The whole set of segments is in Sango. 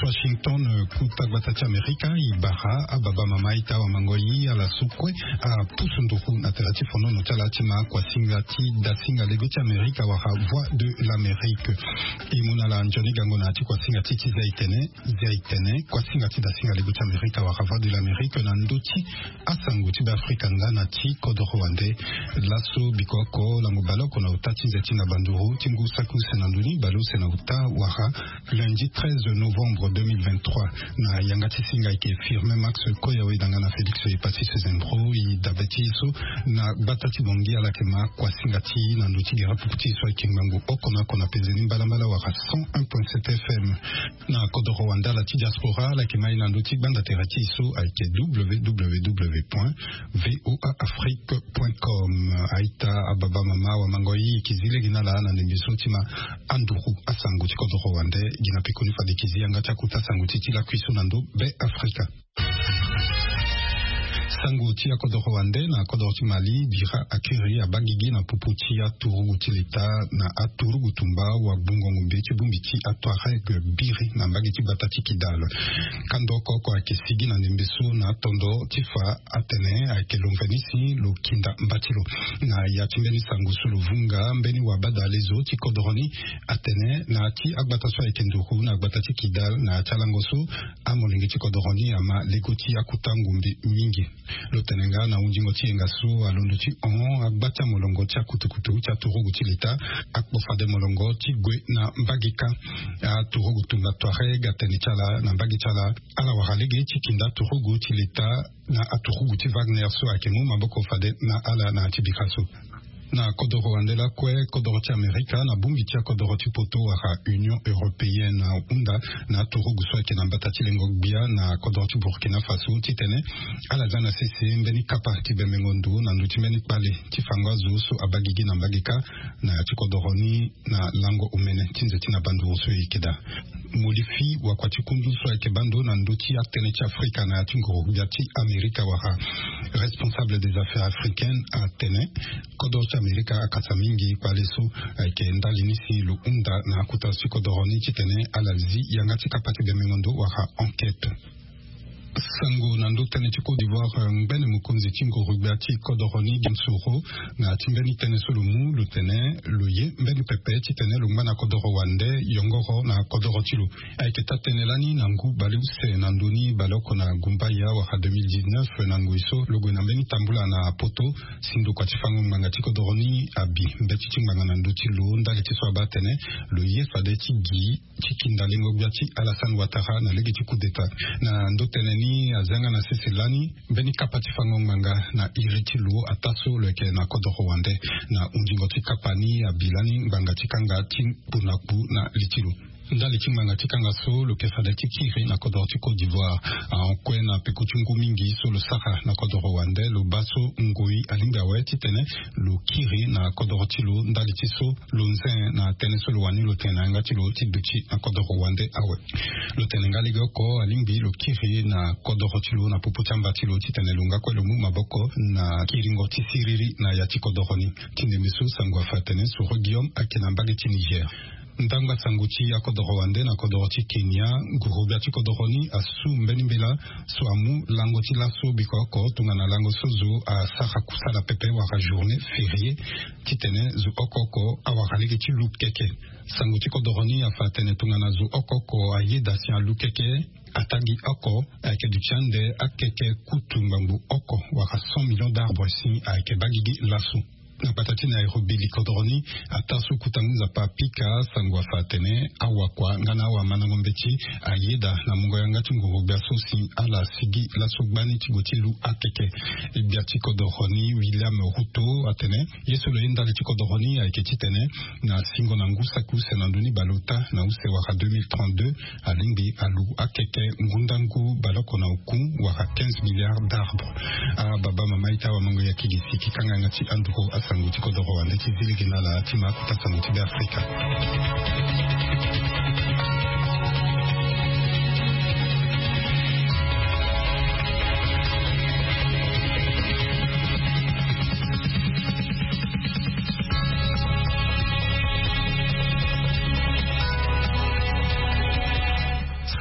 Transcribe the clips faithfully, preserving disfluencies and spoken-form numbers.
Washington, kuta gbata ti Amerika, i bara ababa mama ita wamango yi ala so kue apusu nduku na tera ti fonono ti ala ti ma kuasinga ti dasinga lego ti Amerika wala Voix de l'Amérique. I mu na ala nzoni gango na ya ti kuasinga ti ti zia itene, zia itene, kuasinga ti dasinga lego ti Amerika wala Voix de l'Amérique na ndö ti asango ti Beafrika nga na ti kodoro wande. Laso biko oko lango baleoko na ota ti nze ti na banduru ti ngu saki use na ndoni baleuse na ota wala lundi treize novembre deux mille vingt-trois. Na yanga ti singa eke Firmin Max Koyawe danga na Félix Epassis Sezembro i dabe ti so na gbata ti Bongi ala ke ma kuasinga ti na ndö ti gere puku ti so eke ngbangbo oko na oko na pezeni mbalambala wala cent un point sept F M. Na kodoro wande ala ti diaspora ala ke ma i na ndö ti gbanda tere ti so ayeke www point voa afrique point com. Aita ababa mama wamango yi eke zi lege na ala na ndembe so ti ma anduru asango ti kodoro wande. Gi na pekoni fade eke zi yanga ti akuta sango ti ti lakui so na ndö Beafrika. Sango ti akodoro wande na kodoro ti Mali, bira akiri abagigi na popo ti aturugu ti leta na aturugu tumba wagbungo ngombe ti bongbi ti atuareg biri na mbage ti gbata ti Kidal. Kando oko oko ayeke sigi na ndembe so na atondo ti fa atene ayeke lo mveni si lo kinda mba ti lo. Na ya ti mbeni sango so lo vunga mbeni wabadalezo ti kodoro ni atene na ya ti agbata so ayeke nduru na gbata ti Kidal na ya ti alango so amolenge ti kodoro ni ama lego ti akuta ngombe mingi. Lo tene nga na hundingo ti yenga so alondo ti hon agba ti amolongo ti akutukutu ti aturugu ti leta akpo fade molongo ti gue na mbage kâ. Aturugu tumba Touareg atene ti ala na mbage ti ala ala wara lege ti kinda aturugu ti leta na aturugu ti Wagner so ayeke mu maboko fade na ala na ya ti bika so. Na kodoro wande lakue kodoro ti Amerika na bongbi ti akodoro ti poto wala Union Européenne ahunda na aturugu so ayeke na mbata ti lengo gbia na kodoro ti Burkina Faso titene ala za na sese mbeni kapa ti bembengo ndo na ndö ti mbeni kpale ti fango azo so abagigi na mbage kâ na ya ti kodoro ni. Na lango omene ti nze ti na banduru so e yeke daa. Molifi wakua ti kundu so ayeke baa ndo na ndö ti atënë ti Afrika na ya ti nguru gbia ti Amerika wala responsable des affaires africaines atene kodoro ti Amerika akasa mingi kpale so ayeke ndali ni si lo hunda na akota ti kodoro ni titene ala zi yanga ti kapa ti bembengo ndo wala enquête. Sango na ndö tënë ti Côte d'Ivoire, ngbene mokonzi ti nguru gbia ti kodoro ni Guillaume Soro na ya ti mbeni tënë so lo mu lo tene lo ye mbeni pepe titene lo ngba na kodoro wande yongoro na kodoro ti lo. Ayeke taa-tënë lani na ngu baleuse na ndö ni baleoko na gumbaya wala deux mille dix-neuf na ngoi so lo gue na mbeni tambula na poto si ndokua ti fango ngbanga ti kodoro ni abi mbeti ti ngbanga na ndö ti lo ndali ti so abaa atene lo ye fade ti gi ti kinda lengo gbia ti Alassane Ouattara na lege ti coup d'État. Na ndö tënë ni aza nga na sese lani mbeni kapa ti fango ngbanga na iri ti lo ataa so lo yeke na kodoro wande. Na hundingo ti kapa ni abi lani ngbanga ti kanga ti kpu na kpu na li ti lo. Ndali ti ngbanga ti kanga so lo yeke fade ti kiri na kodoro ti Côte d'Ivoire ahon kue na peko ti ngu mingi so lo sara na kodoro wande lo baa so ngoi alingbi awe titene lo kiri na kodoro ti lo ndali ti so lo nze na tënë so lo wani lo tene na yanga ti lo ti duti na kodoro wande awe. Lo tene nga legeoko alingbi lo kiri na kodoro ti lo na popo ti amba ti lo titene lo nga kue lo mu maboko na kiringo ti siriri na ya ti kodoro ni. Ti ndembe so sango afa atene Soro Guillaume ayeke na mbage ti Niger. Ndangba sango ti akodoro wande na kodoro ti Kenya, nguru gbia ti kodoro ni asu mbeni mbela so amu lango ti laso biko oko tongana lango so zo asara kusala pepe wala journée fériée titene zo oko oko awara lege ti lu keke. Sango ti kodoro ni afa atene tongana zo oko oko ayeda si alu keke, atangi oko ayeke duti ande akeke kutu ngbangbo oko wala cent millions d'arbres si ayeke baa gigi laso. Na gbata ti Nairobi likodoro ni ataa so kota ngu nzapa apika sango afa atene awakua nga na awamandango mbeti ayeda na mungo yanga ti nguru gbia so si ala sigi laso gbani ti gue ti lu akeke. Gbia ti kodoro ni William Ruto atene ye so lo ye ndali ti kodoro ni ayeke titene na singo na ngu saki use na ndö ni baleota na use wala deux mille trente-deux alingbi alu akeke ngundangu baleoko na oku wala quinze milliards d'arbres. Ababa mama ita wamango ya kigisi ki kanga yanga ti anduru asango ti kodoro wande ti zi lege na ala ti ma akuta sango ti Beafrika.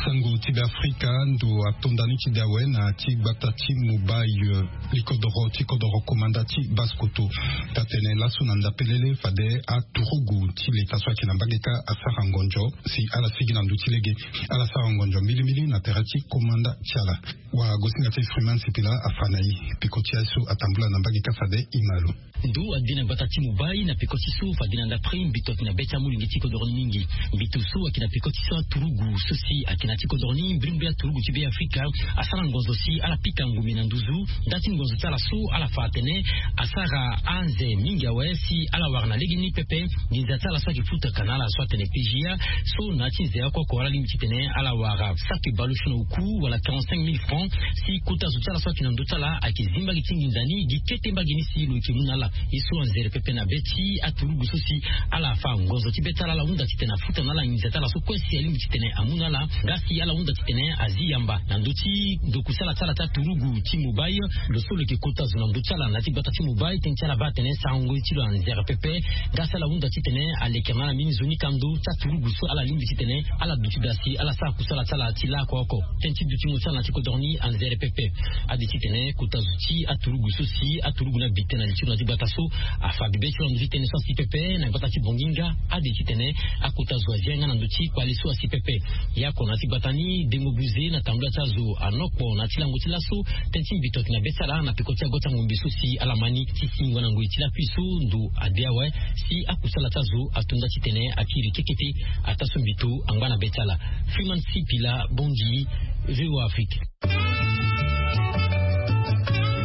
Sango ti be afrika ndo atonda ni ti de awe na ti gbata ti mobail likodoro ti kodoro komanda ti baskoto. Tatene laso na ndapelele fade aturugu ti leta so ayeke na mbage ka asara ngonzo si ala sigi na ndö ti lege. Ala sara ngonzo mbilimbili na tere ti komanda ti ala. Wagosinga ti freeman sipila afa na ye. Peko ti aye so atambula na mbage ka fade imalo. Ndo ade na gbata ti mobai na peko ti so fade na ndapre mbito ayeke na be ti amolenge ti kodoro ni mingi. Mbito so ayeke na peko ti so aturugu so si ayeke na ti kodoro ni mbrimbri aturugu ti be afrika asara ngonzo si ala pika ngombe na nduzu. Nda ti ngonzo ti ala so ala fa atene asara anze mingi awe si ala wara na legeni pepe. Nginza ti ala so ayeke futaka na ala so atene pga so na ya ti nze oko oko ala lingbi titene ala wara saki baleuse na oku wala quarante-cinq mille francs si kota zo ti ala so ayeke na ndö ti ala ayeke zi mbage ti nginza ni gi kete mbage ni si lo yeke mu na ala. Ye so anzere pepe na be ti aturugu so si ala fa ngonzo ti be ti ala ala hunda titene afuta na ala nginza ti ala so kue si alingbi titene amu na ala. Nga si ala hunda titene azi yamba na ndö ti ndoku sala ti ala ti aturugu ti mobai. Lo so lo yeke kota zo na ndö ti ala na ya ti gbata ti mobai tënë ti ala baa atene sarango ye ti lo anzere pepe. Nga si ala hunda titene alekere na ala mbeni zo ni kando ti aturugu so ala lingbi titene ala duti daa si ala sara kusala ti ala ti laoko oko. Tënë ti dutingo ti ala na ti kodoro ni anzere pepe. Ade titene kota zo ti aturugu so si aturugu ni abi tënë na li ti lo na ti gbata so afa bibe ti lo na ndö ti tënë so asi pepe na gbata ti bongi nga ade titene akota zo azi yanga na ndö ti kpale so asi pepe. Ye oko na ya ti gbata ni dengo buze na tambula ti azo anokpo na ya ti lango ti laso. Tënë ti mbito ayeke na be ti ala na peko ti ago ti angombe so si ala ma ni ti singo na ngoi ti lakui so ndo ade awe si akusala ti azo atonda titene akiri kekete. Ataa so mbito angba na be ti ala. Freeman sipila bongi. Voa afrique.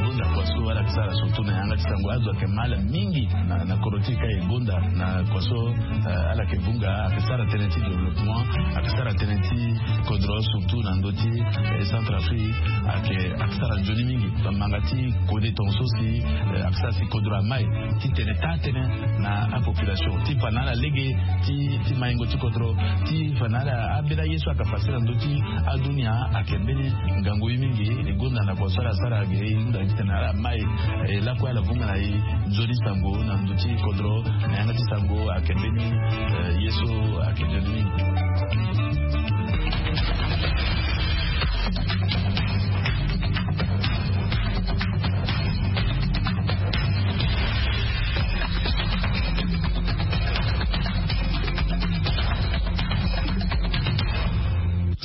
Gonda kua so ala yeke sara surtout na yanga ti sango azo ayeke mal mingi na, na kodro ti e ka e gonda na kua so, eh, ala yeke vunga ayeke sara tënë ti développement ayeke sara tënë ti kodro surtout na ndö ti, eh, centre afrique ayeke ayeke sara nzoni mingi. Bamanga ti kode tongaso si, eh, ayeke sara si kodro amai titene taa tënë na apopulation ti fa na ala lege ti, ti maingo ti kodro ti fa na ala abela ye so ayeke fasi na ndö ti adunia ayeke mbeni ngangu ye mingi. E gonda na kua so ala sara ge e hunda titene ala mai, eh, lakue ala vunga na e nzoni sango na ndö ti kodro na yanga ti sango ayeke mbeni, eh, ye so ayeke nzoni mingi.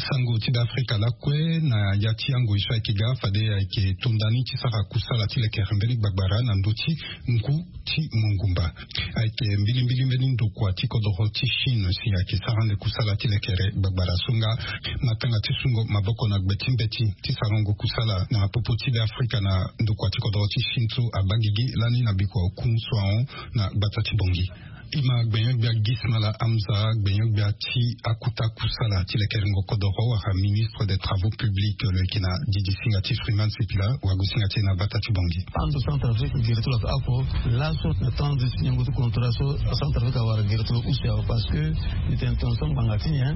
Sango ti be afrika lakue na ya ti angoi so ayeke ga fade ayeke tonda ni ti sara kusala ti lekere mbeni gbagbara na ndö ti ngu ti mongumba. Ayeke mbilimbili mbeni ndokua ti kodoro ti chine si ayeke sara ande kusala ti lekere gbagbara so nga matanga ti sungo maboko na gbe ti mbeti ti sarango kusala na popo ti be afrika na ndokua ti kodoro ti chine so abaa gigi lani na bikua oku so ahon na gbata ti bongi. E ma gbenyo-gbia gismala hamza gbenyo-gbia ti akuta kusala ti lekerengo kodoro wala ministre des travaux publics lo yeke na didi singa ti freeman sipila. Wagosinga ti e na bata ti bongi. Ando centre afrique gere ti lo ape oko laso na temps ti niongo ti contrat so centre afrique awara gere ti lo use awe parce que ni tene tongaso ngbanga ti nyen?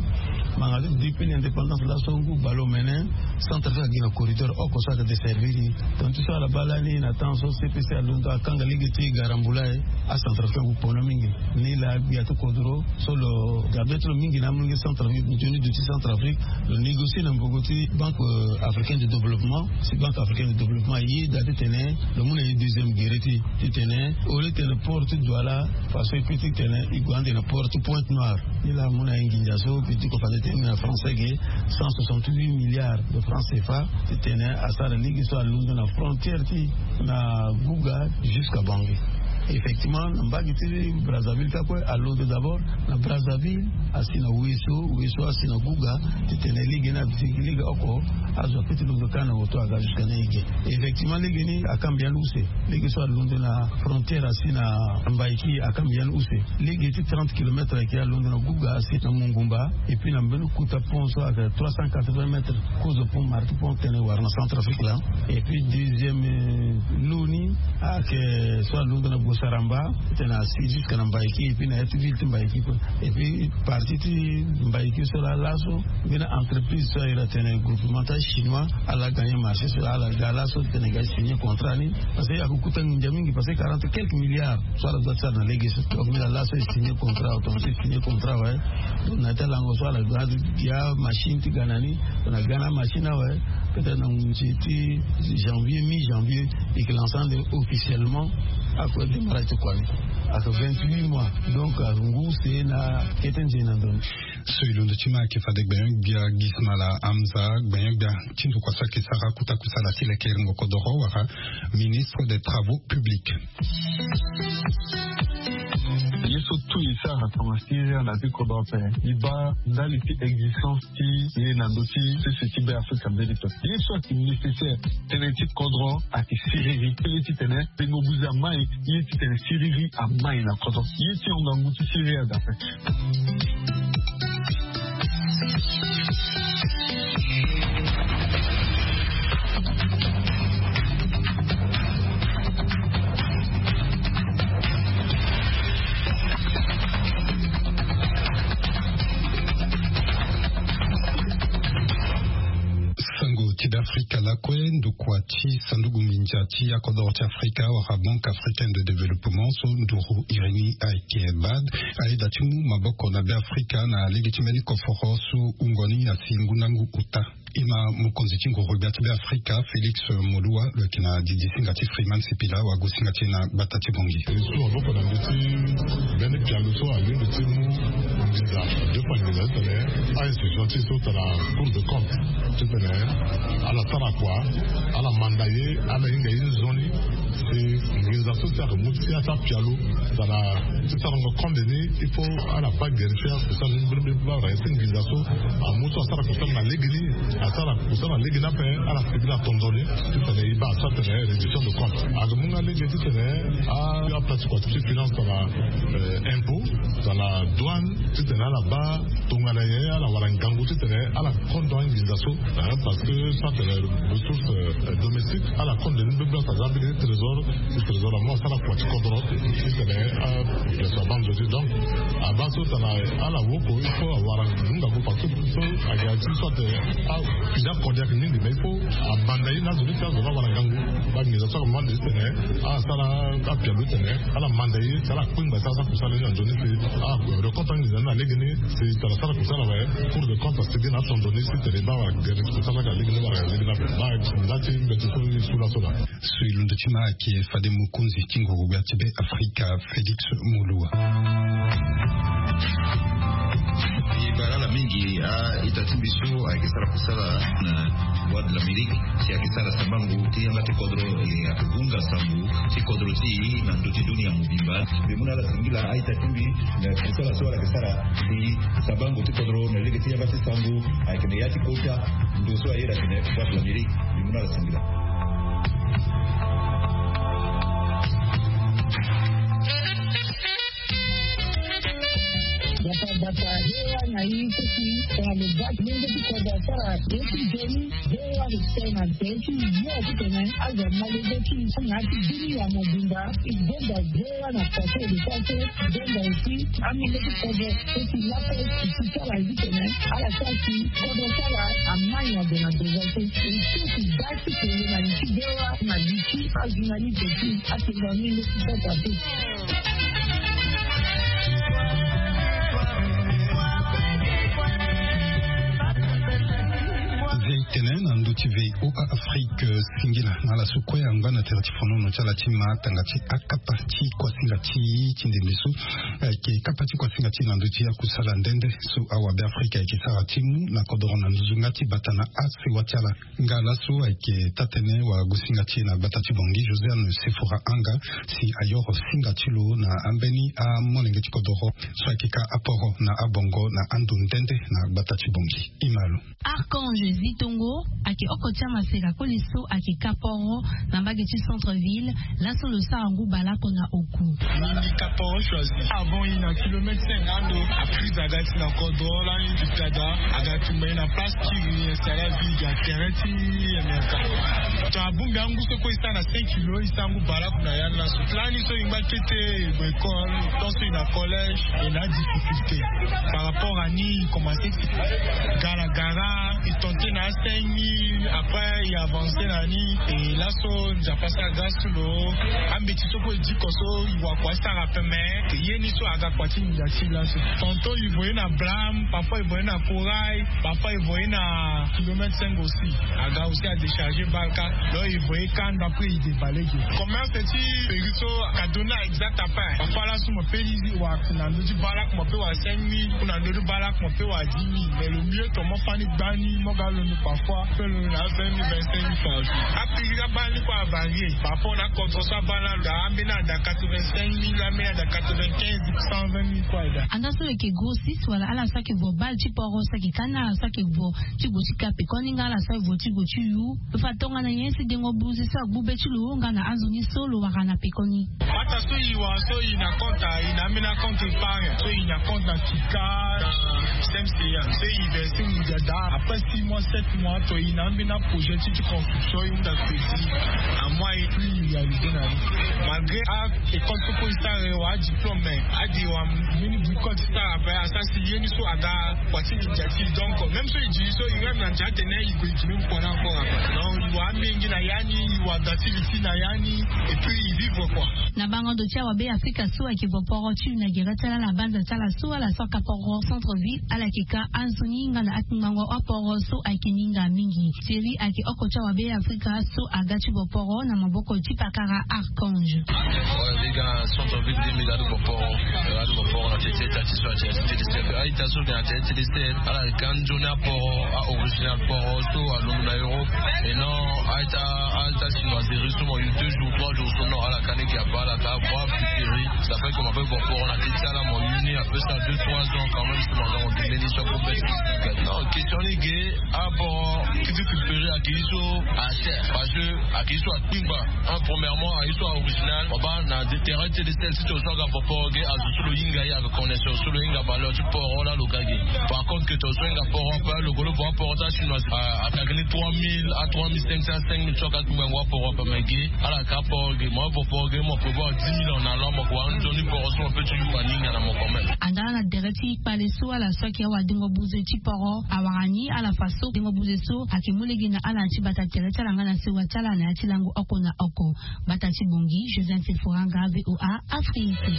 Ngbanga ti depuis l'indépendance laso ngu baleomene centre afrique agi na corridor oko so ayeke desservir ni. Donc ti so ala baa lani na temps so cpc alondo akanga lege ti garambula e acentre afrique agu pono mingi. Ni laa gbia ti kodro so lo ga be ti lo mingi na amolenge centre afrique nzoni duti centre afrique lo négocier na mbogo ti banque africaine de développement. Si banque africaine de développement ayeda titene lo mu na ye deuxième gere ti titene au lieu titene port ti douala façon e kue titene e gue ande na port ti pointe noire. Ni laa amu na ye nginza so bi ti ko fade tene na français ge cent soixante-huit milliards de francs cfa titene asara lege so alondo na frontière ti na guga jusqu'à bangi. Effectivement na mbage ti brazzaville ka kue alondo d'abord na brazzaville asi na weso weso asi na guga titene lege ni abitiki lege oko azo akpe ti londo kâ na oto aga jusqu'à na ege. Effectivement lege ni akamba yande use lege so alondo na frontière asi na mbaiki akamba yande use. Lege ti trente kilomètres ayeke alondo na guga asi na mongumba et puis na mbeni kota pont so ayeke trois cent quatre-vingts mètres kozo pont marti pont tene wara na centre afrique laa. Et puis deuxième lo ni ayeke so alondo na Saramba, tena si jusque na Mbaïki, et puis na ya ti ville ti Mbaïki quoi. Et puis parti ti Mbaïki so la laso, mbeni entreprise so ayela tene groupement ta chinois ala gagné marché so la, ala ga laso tene ga signé contrat ni. Parce que akukuta nginza mingi, parce que quarante quelques milliards so ala doit sara na lege so. Donc mbeni ala laso e signé contrat, automatique signé contrat, ouais. Donc na ta lango so ala ga ya machine ti gana ni, na gana machine, ouais. Peut-être na ngu ti janvier, mi janvier, et que l'ensemble officiellement ako démarré ti kua ni. Ako vingt-huit mois. Donc ngu se na kete nze na ndoni. So e londo ti ma ayeke fade gbenyo-gbia Gismala Hamza, gbenyo-gbia ti ndokua so ayeke sara kota kusala ti lekerengo kodoro wala ministre des travaux publics. Ye so tout e sara tongana siriri na ti kodro ape, e baa ndali ti existence ti ye na ndö ti sese ti Be Afrika mbeni pe. Ye so ayeke nécessaire tënë ti kodro ayeke siriri, tënë titene tengo buze amai, ye titene siriri amai na kodro, ye ti hon ngangu ti siriri aga ape. Sango ti Be Afrika lakue, ndokua ti sanduku nginza ti akodoro ti Afrika wala Banque Africaine de Développement so nduru iri ni ayeke BAD, ayeda ti mu maboko na Be Afrika na lege ti mbeni koforo so wungo ni asi ngu na ngu ota. E ma mokonzi ti nguru gbia ti Be Afrika Félix Moloua lo yeke na didi singa ti Freeman Sipila wagosinga ti e na gbata ti Bangui. E su maboko na ndö ti mbeni pialo so alingbi ti mu nginza, deux fois nginza titene a-institution ti e so tara Cour de compte titene ala sara kua, ala manda ye, ala hinga ye nzoni. Si nginza so si ayeke mu ti asa pialo tara ti sarango compte ni, il faut ala baa geri ti akusala ni mbirimbiri baa wala si nginza so amu so asara kusala na lege ni, asara kusala na lege ni ape, ala sigi na tondo ni titene e baa asara tene réduction de compte. Ayeke mu nga lege titene a, aplace kua ti finance tara, euh, impôt, tara douane, titene ala baa tongana nyen ala wara ngangu titene ala kondo anginza so, hein, parce que so atene ressource, euh, domestique, ala kondo ni mbirimbiri, aza mbeni trésor, ti trésor amu asara kua ti kodro titene a, euh, so abaa nzoni. Donc abaa so tara ala woko, il faut awara ngangu, parce que so ayeke ya ti so atene a, fini akode ayeke mingi, mais il faut amanda ye na azo ni ti azo ni awara ngangu. Baa nginza so ayeke mu ande titene asara apialo titene ala manda ye, si ala kpengba si asara kusala ni na nzoni si a, reconte anginza ni na lege ni. Si tara sara kusala awe, Cour de compte asigi na atondo ni si tene e baa wala gere ti kusala ka lege ni wala lege ni ape. Baa nda ti mbeti so e su laso laa. So e londo ti ma ayeke fade mokonzi ti nguru gbia ti Be Afrika Félix Moloua. E baa ala mingi a-ita ti mbi so ayeke sara kusala na Voix de l'Amérique, si ayeke sara sambango ti yanga ti kodro, e, ayeke gunga sango ti kodro ti e na ndö ti dunia mobimba. Mbi mu na ala singila a-ita ti mbi na kusala so ala yeke sara. Si sambango ti kodro na lege ti yanga ti sango ayeke na ya ti kota ndo so ayeda atene Voix de l'Amérique. Mbi mu na ala singila. Bata bata, V O A na i kuki, tongana lo baa ti lenge ti kodro asara ye ti nzoni, V O A lo sara na nze ti yo titene azo ama lege ti i na ya ti dunia mobimba. I gonda V O A na kua so e lo sara so, i gonda aussi amolenge ti kodro so ti lape, i si sara ye titene ala sara si kodro sara amai na ndo na ndo so. I si i baa ti tene na li ti V O A na li ti ajournaliste ti atenga amolenge ti kodro ape. Vei tene na ndö ti vei O A Afrique, singila na ala so kue angba na tere ti fonono ti ala ti ma tanga ti akapa ti kuasinga ti e ti ndembe so, eh, ayeke kapa ti kuasinga ti e na ndö ti akusala nde nde so awabe Afrika ayeke sara ti mu na kodoro na nzuzunga ti bata na asewa ti ala. Nga laso ayeke taa-tënë wagosinga ti e na gbata ti Bangui, Josiane Sefora Anga, si ayoro singa ti lo na ambeni amolenge ti kodoro so ayeke ka aporo na abongo na ando nde nde na gbata ti Bangui. E ma lo. Archange Zitongo. Ake oko ti amaseka koli so ake kaporo na mbage ti centre ville. Laso lo sara ngu baleoko na oku. Mingi kaporo choisi avant i na kilomètre cinq ando. Aprise aga ti na kodro lani ti tada aga tumba i na place ti i installa vie ya terrain ti amerika. To abongbi angu so kue i sara na cinq kilo i sara ngu baleoko na ya ni laso. Lani so i ngba tete i gue école tant so i na collège. E na adifficulté par rapport à ni i commence ti gara gara. I tente na asin ni après i avance na ni. E laso nzapa sara grâce ti lo. Ambeti so kue e diko so i wakua sara peme. Ye ni so aga kua ti ndia ti laso. Tonton i voye na blâme parfois i voye na corail. Parfois i voye na kilomètre cinq aussi. Aga aussi a décharger baleoko. Donc i voye kanda après i débale ge commerce ti péri so. Kadona exact après parfois laso mo pe lizi wa na ndö ti baleoko mo pe wa cinq mille ou na ndö ti baleoko mo pe wa dix mille. Mais le mieux to mo fani gbani mo ga londo parfois pe londo na vingt mille vingt cinq mille par jour. Apiri abaa ni kue avarier par rapport na contre so abaa na lo da ambeni ada quatre-vingt cinq mille ambeni ada quatre-vingt quinze cent vingt mille kue ada. Anda so lo yeke grossiste wala ala so ayeke vo bale ti poro so ayeke ka ni ala so ayeke vo ti gue ti ka pekoni nga ala so aye vo ti gue ti yu. Lo fa tongana nyen si dengo buze so agbu be ti lo nga na azo ni so lo wara na pekoni. Mata so i wara so i na compte i na ambeni acompte épargne so i na compte na sika na système seya so i verse mu dia daa après six mois sept mois to i na ambeni aprojet ti ti construction i hunda crédit. Amois i plus i réalise na ni malgré a école so kue i sara e wara adiplôme mais adi wara mbeni bricole ti sara ape asara si ye ni so aga kua ti nginza ti donc même so i di so i rêve na ndia atene i gue i gi même kua ni encore ape. Donc i wara amenge na ya ni i wara dati li ti na ya ni. Et puis i vivre kua. Na bango ndo ti awabe afrika so ayeke vo poro ti yu na gere ti ala na banza ti ala so ala so aka poro centre ville ala yeke ka anzoni nga na akingbango aporo so ayeke minga mingi. Seri ayeke oko ti awabe afrika so aga ti vo poro na maboko ti pakara archange. Liga centre ville deux mille adu vo poro. Adu vo poro na tete tati so ati ati tete sef aita so ke na tete tete sef ala yeke anzoni aporo a original poro so alondo na europe. Et non aita aita chinoiserie so mo yu deux jours trois jours so non ala ka ni gi apa ala ka vo apiseri. Ça fait que mo ape vo poro na tete ala mo yu ni ape sa deux trois ans quand même si mo aga mo gi mbeni so ape bes. Non question ni ge aporo ti ti piseri ake ye so acher parce que ake ye so akpingba. Un premièrement aye so a original mo baa na terrain ti tete sel ti to so aga vo poro ge azo so lo hinga ye aga connaisseur so lo hinga valeur ti poro laa lo ga ge. Par contre ke to so hinga poro ape lo golo vo aporo ti achinois. Akagini trois mille a trois mille cinq cent cinq mille so aka kpingba ngu aporo ape mais ge ala ka poro ge mo avo poro ge mo prévoir dix mille en allant mo ko wa nzoni poro so mo pe ti yu aninga na mo quand même. Anda na dere ti kpale so ala so ayeke awadengo buze ti poro awara ni ala fa so dengo buze so ayeke mu lege na ala na ti bata tere ti ala nga na sewa ti ala na ya ti lango oko na oko. Bata ti bongi joseph seforanga voa afrique.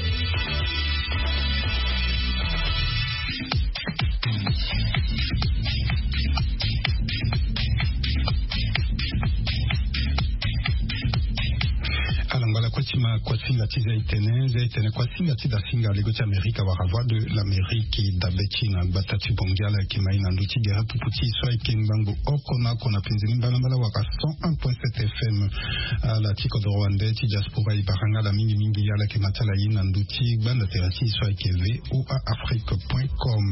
Ala ngba lakue ti ma kuasinga ti za etene za etene kuasinga ti da singa lego ti amerika wala voie de l'amérique dabe ti na gbata ti bongi ala yeke mai na ndö ti gere pupu ti e so ayeke ngbangbo oko na oko na penze ni mbalambala wala cent un point sept fm. Ala ti kodoro wande ti diaspora e bara nga ala mingimingi ala yeke ma ti ala ye na ndö ti gbanda tere ti e so ayeke voa afrique point com.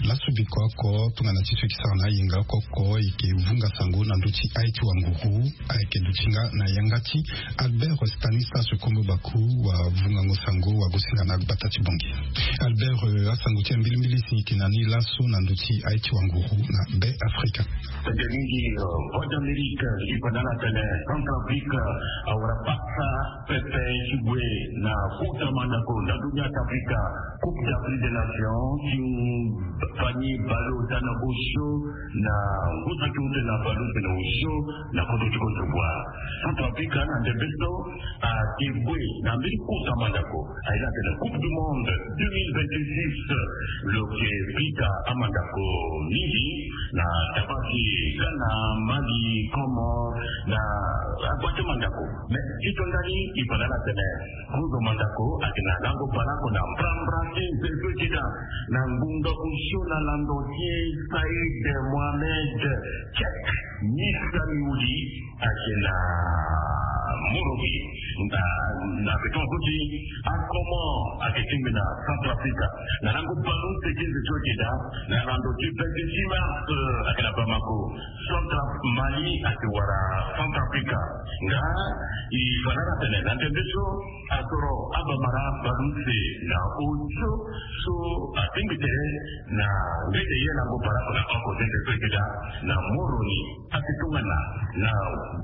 Laso biko oko tongana ti so e yeke sara na ayenga oko oko e yeke vunga sango na ndö ti aye ti wanguru ayeke duti nga na yanga ti albert stanislas kombo baku wavungango sango wagosinga na gbata ti bongi. Albert asango ti ambilimbili si e yeke na ni laso na ndö ti aye ti wanguru na be afrika. Tete mingi voie d'amérique e fa na ala tene centre afrique awara pasa pepe ti gue na kota mandako na dunia ti afrika. Coupe d'afrique des nations ti fani balo tana osio na ngusa ti ute na balo tena osio na koto ti koto bua. Centre africa na ndembe so ake gue na mbeni kota mandako aye na tena coupe du monde deux mille vingt-six. Lo ke pita amandako mingi na tabasi ghana, mali, comores na agbate mandako. Mais ti to ndani e fa na ala tene kozo mandako ake na lango balako na mbrambra ti nzeve keda na ngbonga osio na lando ti e said mohamed. Check misa miuli ake na Moroni na na beton so ti akomo ayeke tingbi na Centrafrique. Na lango ballon ti eke nze so ayeke daa na lando ti vingt-six mars, ayeke na Bamako, Centra Mali ayeke wara Centrafrique. Nga e fa na ala tene na ndembe so asoro abamara ballon ti eke na osio so atingbi tene na ngete ye lango ballon na oko ti nze so ayeke daa na Moroni. Ayeke tongana na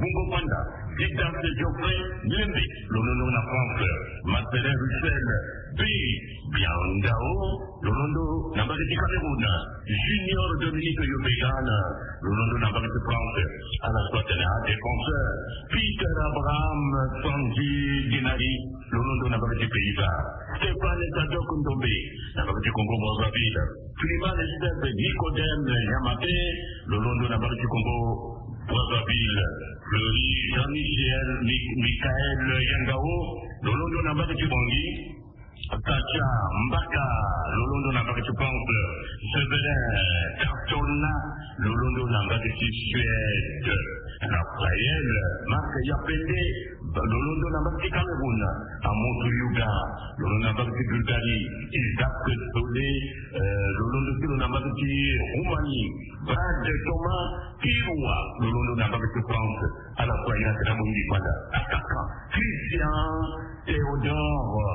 bungo panda Didace Geoffrey Lembe, lo londo na France, Marcelin Russell, Bi Biandao, lo londo na mbage ti Cameroun, Junior Dominique Yobegan, lo londo na mbage ti France, ala so atene adéfenseur, Peter Abraham Sanji Dinari, lo londo na mbage ti Pays-Bas, Stéphane Sadok Ndombe na mbage ti Congo Brazzaville, Clément Estève Nicodème Yamate, lo londo na mbage ti Congo Brazzaville, Fleury Jean-Michel Mi- Michael Yangao, lo londo na mbage ti Bangui, Katia Mbaka, lo londo na mbage ti France, Severin Cantona, lo londo na mbage ti Suède, Raphaël Marc Yapende, lo londo na mbage ti Cameroun, Amoto Yuga, lo londo na mbage ti Bulgarie, Isaac Sole, eh, lo londo ti lo na mbage ti Roumanie, Brad Thomas Pirwa, lo londo na mbage ti France, ala so aye na tene amu mingi fanda, attaquant, Christian Théodore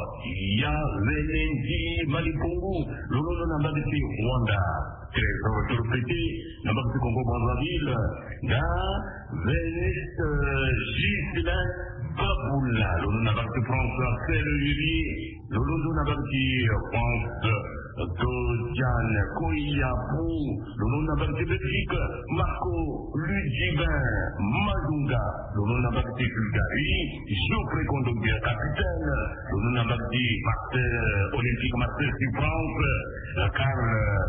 Yavenendi Malipongu, lo londo na mbage ti Rwanda, Trésor Tropete na mbage ti Congo Brazzaville, na Veniste, eh, Ghislain Babula, lo londo na mbage ti France, Axel Lully, lo londo na mbage ti France, Dojane Koyabu, lo londo na mbage ti Belgique, Marco Ludivin Mazunga, lo londo na mbage ti Bulgarie, Geoffrey Kondogbia, capitaine, lo londo na mbage ti Marseille, Olympique Marseille ti France, Karl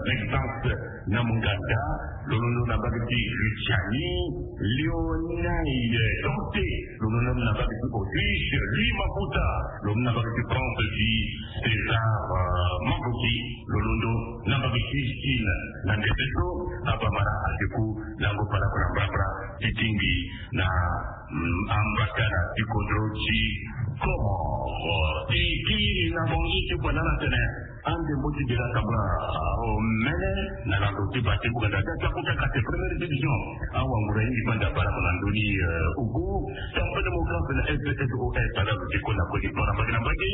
Maxence Namunganda, lo londo na mbage ti Lituanie, Lionel Dante, lo londo na mbage ti Autriche, Louis Maputa, lo londo na mbage ti France, ti César, eh, Mamboki, lo londo na mbage ti Chine. Na ndembe so abamara adeku lango ballon na mbrambra ti tingbi na, mm, ambakana ti kodro ti Comores. E kiri na Bangui ti kue na ala tene ande mbo ti dela tambula omene na lando ti bate buganda ti akuta kate première division. Awangura ye ngi fanda ballon na ndoni, eh, ugu. Tempêt démocrate na S D S O S ala lo ti kue na kue ti para mbage na mbage.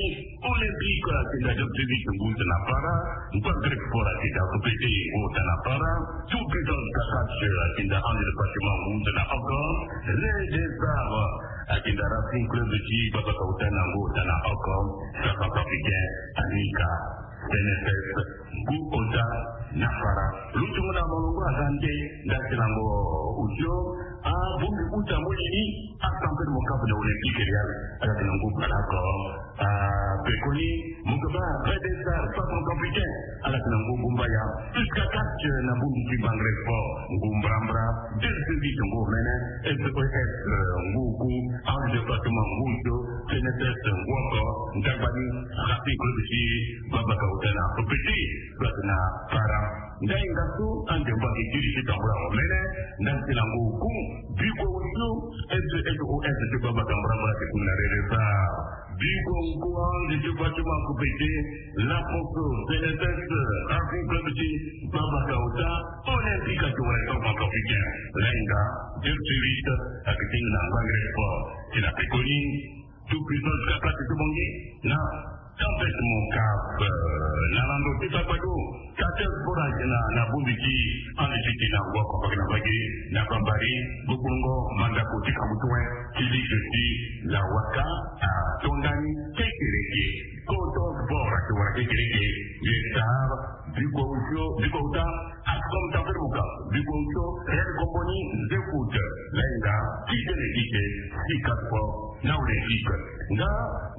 Olympique ayeke nda Djoktovic ngu ota na para. Mpa Grec Sport ayeke nda Rupete ngu ota na para. Tout Puissance Kakach ayeke nda Ange de Fatima ngu ota na oko. Rey des Arts ayeke nda Racing Club ti Baba Kaota na ngu ota na oko. Centrafricain Anika N F S ngu ota na para. Lo tongo na molongo aza nde nda ti lango osio. Abongbi uta molini. Asampeli mo kapu na Olympique Real ala ti na ngu ballon oko. Ah, pekoni, mo ke baa Rey des Arts, centrafricain, ala ti na ngu gumbaya. Jusqu'à catch na bongbi ti Bangre Sport, ngu mbrambra. Djoktovic ngu omene. S O S, eh, ngu oku. Ange de Fatima ngu osio. T N S S ngu oko. Ndagbani, Racing Club ti Baba Kaota na Rupete, ala ti na para. Ndainga so ande mbo ayeke kiri ti tambula omene, nda ti lango oku. Bikua osio, S O S ti Baba Kaota mbrambra ti kunda Rey des Arts. Bikua oku, Ange ti Fatima Rupete, Laposo, T N S S, Racing Club ti Baba Kaota, Olympique ayeke wara centrafricain. Lainga, Djoktovic ayeke tingbi na Bangre Sport ti na pekoni. Tout Puissance Kakach ti Bangui na Tempêt Moncaf, eh, na lando ti Sagbado. Kate Sport ayeke na, na bongbi ti ande ti ti na ngu oko mbage na mbage na Bambari, Gbogbongo, mandako ti kambu tue ti ligue ti Lawaka, ato ndani kekereke. Koto Sport ayeke wara kekereke. Ye Star, bikua osio, bikua ota, Ascom Tempêt Moncaf, bikua osio, Real Compagnie, Zefoot, Lainga, Kikene Kike, Sika Sport, na Olympique. Nga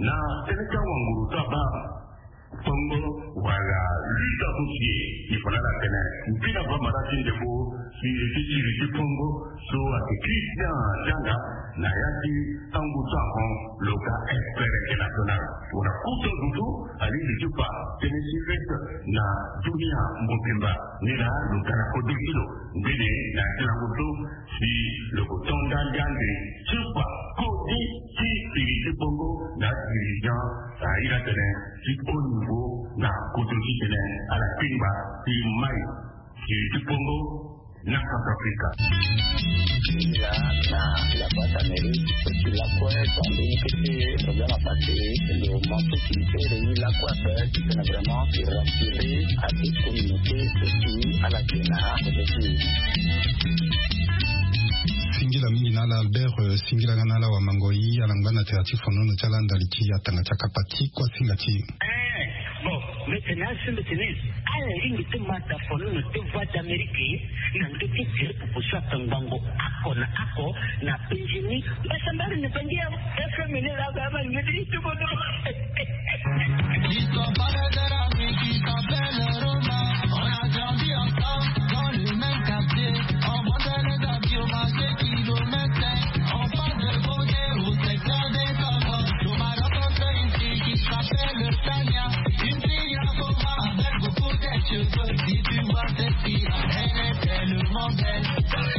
na tënë ti awanguru so abaa, Tongo wala lutte associée, il faut na ala tene mbi na bamara ti ndembo ti, ti siri ti Tongo so ayeke Christian Djanga, na ya ti angu so ahon lo ga expert international. Wala kuta zo so alingbi ti fa tënë ti lutte na dunia mobimba. Ni laa lo ga na kodro ti lo. Mbeni na ya ti lango so si lo ko to nda nde ande ti fa kodi ti Congo na Centrafrique. Là, na la boîte à mairie, c'est là quoi, quand il était problème à passer, le manque qui fait le là quoi, c'est vraiment rassurer à toute communauté, surtout à la Kena. Singila mingi na ala Albert, euh, singila nga na ala wa mango yi, ala ngba na tera ti fono no ti ala ndali ti atanga ti akapa ti kua singa ti. Eh, bon, mais c'est là, c'est le tennis. Ala ringi ti mata fono no ti Voix d'Amérique. Na ndö ti tiri pupu so atangbango ako na ako na penzi ni. Mbasambari ni penzi ya F M ni la ba ba ni ti bodo. Ils sont pas les amis qui s'appellent Roma. On a grandi ensemble dans le même quartier. On vendait les habits au marché kilomètre. On passe de Bogué au secteur des enfants. Au Maroc, on fait une fille qui s'appelle Tania. Une fille à Roma avec beaucoup de cheveux. Si tu vois cette fille, elle est tellement belle.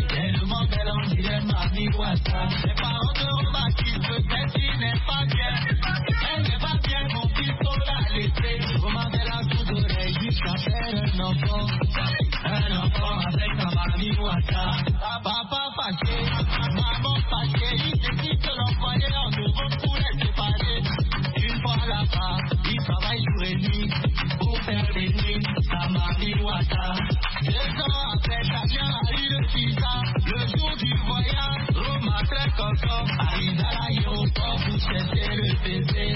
Tellement belle, on dirait Mami Wata. Mes parents de Roma qui se dessinent pas bien. Elle n'est pas bien, mon fils, faut la laisser. Roma de la sous-oreille, jusqu'à faire un enfant. Un enfant avec sa Mami Wata. Papa fâché, maman fâchée, il décide de l'envoyer en Europe pour les séparer. Une fois là-bas, il travaille jour et nuit pour faire bénir sa Mami Wata. Deux ans après, Damien a eu le visa. Le jour du voyage, Roma très content arrive à l'aéroport pour chercher le bébé.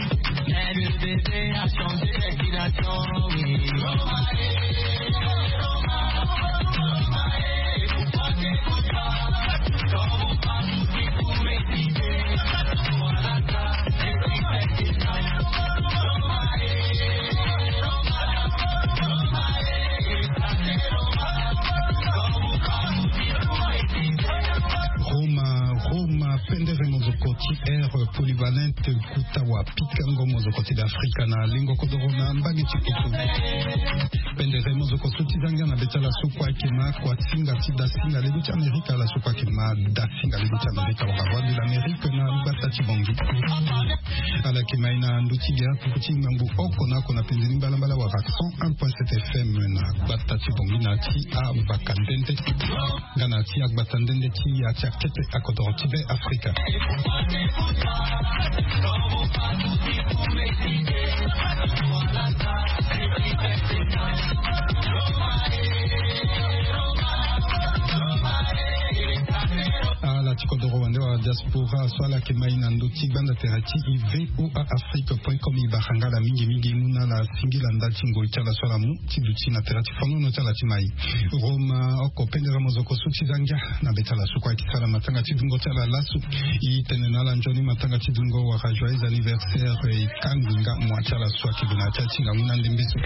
Mais le bébé a changé de destination, oui. Roma, eh, Roma, Roma, eh, pourquoi t'écoutes pas? Quand on parle, tu pour m'exciter. Voilà ça, c'est ce qui fait que ça. Roma, eh, Roma, Roma, eh, ça c'est Roma. Quand on parle, tu pour m'exciter. Roma, Roma, pendere mozoko ti air polyvalente. Kuta wa pikango mozoko ti Afrika na lingo kodoro na mbage ti kutu. Pendere mozoko so ti zangia na be ti ala so kue ayeke ma kua singa ti da singa lego ti Amerika, ala so kue ayeke ma da singa lego ti Amerika wala Voix de l'Amérique na gbata ti Bongi. Ala yeke ma e na ndö ti gere pupu ti ngbangbu oko na oko na penze ni mbalambala wala cent un point sept F M na gbata ti Bongi na ti avaka ndende. Nga na ti agbata ndende ti ya ti akete akodoro ti be Afrika. Ala ti kodoro wande wala diaspora so ala yeke ma e na ndö ti gbanda tere ti e V O A Afrique point com. E bara nga ala mingi mingi mu na ala singila ndali ti ngoi ti ala so ala mu ti duti na tere ti fonono ti ala ti mai. Roma oko pendere mozoko so ti zangia na be ti ala so kue ayeke sara matanga ti dungo ti ala laso. E tene na ala nzoni matanga ti dungo wala joyeux anniversaire. E kangbi nga mua ti ala so ayeke bi na ya ti atingangu na ndembe so.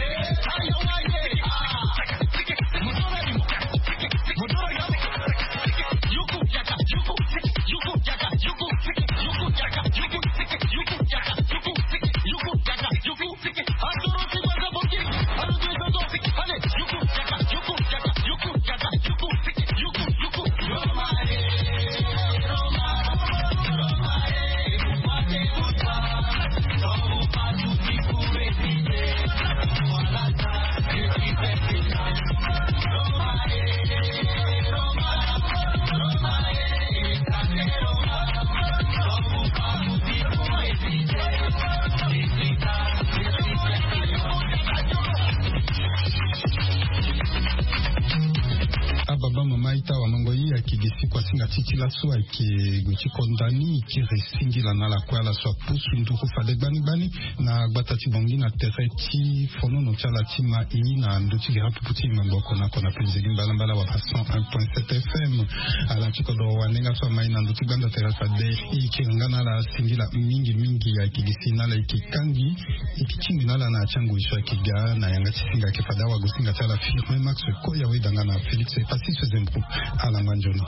Ababa mama ita wa mango ye ayeke gi si kuasinga ti ti laso ayeke gue ti konda ni e kiri singila na ala kue ala so apusu nduru fade gbani gbani na gbata ti Bongi na tere ti fonono ti ala ti ma e na ndö ti gere apupu ti e mangboko na kona penze gi mbalambala wala cent un point sept F M. Ala ti kodoro wande nga so ama e na ndö ti gbanda tere fade e kiri nga na ala singila mingi mingi ayeke gi si na ala e yeke kangi. E yeke tingbi na ala na ya ti angoi so ayeke ga na yanga ti singa ayeke fade awagosinga ti ala Firmin Max Koya weda nga na Félix Epasis Zembro. Ala ngba nzoni.